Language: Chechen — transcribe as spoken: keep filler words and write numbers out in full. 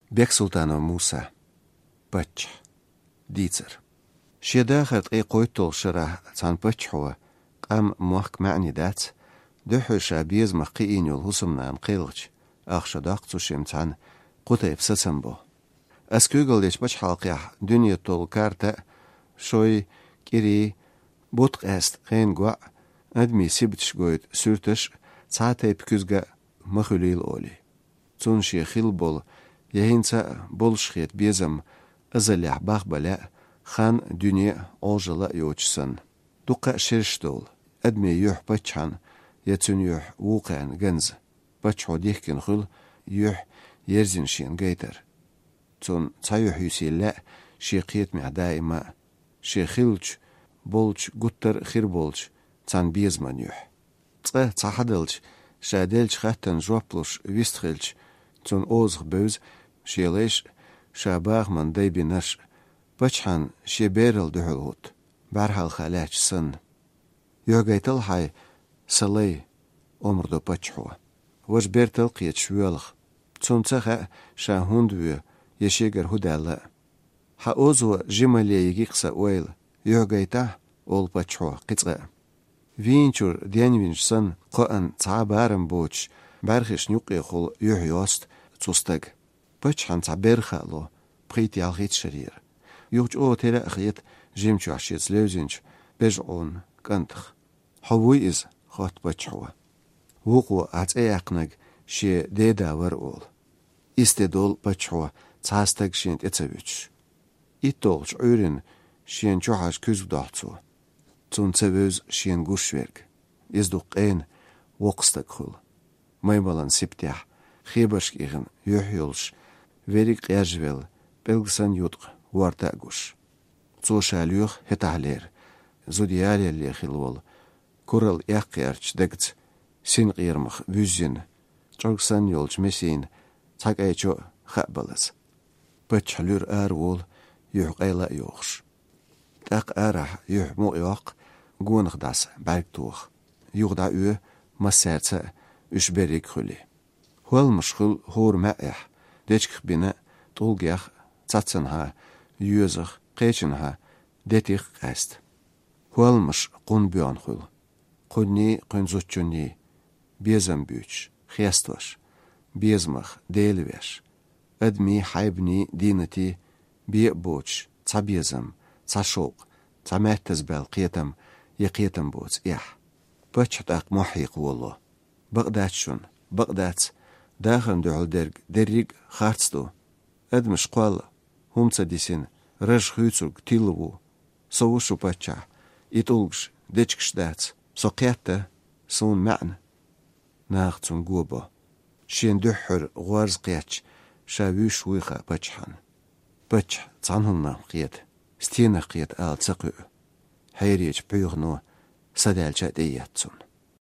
Бексултанов Муса. Паччахь. Дийцар. Шен дахар ткъе кхойтталгӀача шарахь цхьан паччахьо, къам, мохк маьӀне дац, дуьххьара ша безамах кхиийна йолу хӀусамнана кхелхича, ахча доккху цу шимма цхьаьна, кху тайпа сацам бо. Ас куьйгалла дечу пачхьалкхехь дуьне толу карта а, шой, кӀирий, бутт къаьста хенан гоӀ, адамийн сибаташ гойту суьрташ а, цхьа а тайпа куьзга а ма хуьлийла олий. Цунна шен хилла болу я хӀинца а болуш хета безам азаллехь бахбан лаьа, хан а, дуьне а, Ӏожалла а йоцуш санна. Дуккха а шераш долу, адамийн юьхь паччахьна я цуьнан юьхь вукхарна ганза. Паччахьо дихкина хуьлу юьхь ерзина шена гайтар. Цунна цхьа юьхь юьсийла лаьа шен кхетамехь даима а, шен хиллачу, болчу, гуттар а хир болчу цхьана безаман юьхь. Цкъа цхьа хьадалча, ша деллачу хаттарна жоп луш вистхилча, цунна озах бевза шен лайш а, ша бахаман дай бинарш а, паччахьна шен берал дуьхьал хӀутту, бӀаьрхьалха лаьтташ санна. «Юьхь гайтал хьайн, сан лай», — омра до паччахьо. Важа бертал кхеташ воьлху. Цунна ца хаьа, ша хӀунда воь, я шегара хӀун даьлла а. «Хьан озо жималле йигира сан ойла, юьхь гайтахь», — олу паччахьо кхин цкъа а. Вийначуьра денвинчу санна, кхоъан цхьа а барам боцуш, бӀаьрхишна юккъехула юьхь йосту цу стага. Паччахьна цхьа берха а ло, пхийтта-ялхитта шарера. Юха чӀогӀа тера а хета жимачохь шеца левзинчу бежа Ӏуна кӀантах. «Хьо вуй иза?» — хотту паччахьо. Вукхо, ахь цӀе яьккхинарг шен деда вара, олу. Исс де долу паччахьо цхьа а стаг шена тӀе ца вуьтуш. ИтталгӀачу Ӏуьйранна шена чу хьажа куьзга дохьу цо. Цунна ца вевза шена гуш верг. Иза дукха къена воккха стаг хуьлу. Маймалан сибатехь, хебаршка ихна юьхь йолуш, верриг къежжавелла, пӀелг санна юткъа ворта а гуш. Цо ша лоьху хӀетахьлера, зуда ялале хилла волу, куралла эккхаярчу дагца синкъерамах вуьззина, чӀог санна йолчу месина цхьа кӀайчо а хаабалаза. Паччахь луьра ара волу, юьхь къайла а йохуш. ТӀаккха арахь юьхь мукъа йоккху, гонах дӀаса бӀаьрг тоха. Юха дӀаоь массаьрца а, уьш берриг а хуьлий. ХӀолламаш хуьлу хӀора маьӀехь, дечигах бина а, тӀулгех а, цацанхьа, йоьзах, кхечанхьа, детих а къаьста. ХӀолламаш кхунна боьгӀна хуьлу. Кхунний, кхуьнан зудчунний, безам буьйцуш, хестош, безамах Дела веш, адамийн, хьайбанийн, дийнатийн бен а боцуш, цхьа безам, цхьа шовкъ, цхьа маьттаза баьлла кхетам я кхетам боцу эхь. Паччахь тӀаккха мохь хьекха волало. Бакъ дац шуна, бакъ дац, дахарна дуьхьал дерг дерриг а харц ду. Адамаш кхолла, хӀума ца дисина, раж хуьйцург тилла ву. Со ву шу паччахь, и тӀулгаш, дечигаш дац. Со кхетта, суна маьӀна. Наха цунна го бо. Шена дуьххьара гӀорза кхетча, ша вуьйш вуй хаьа паччахьна. Паччахь цхьана хӀуманах кхета, стенах кхета ала ца кхуьу. Хьеречу пхьоьхано садаьлча а тӀеэцна цунна.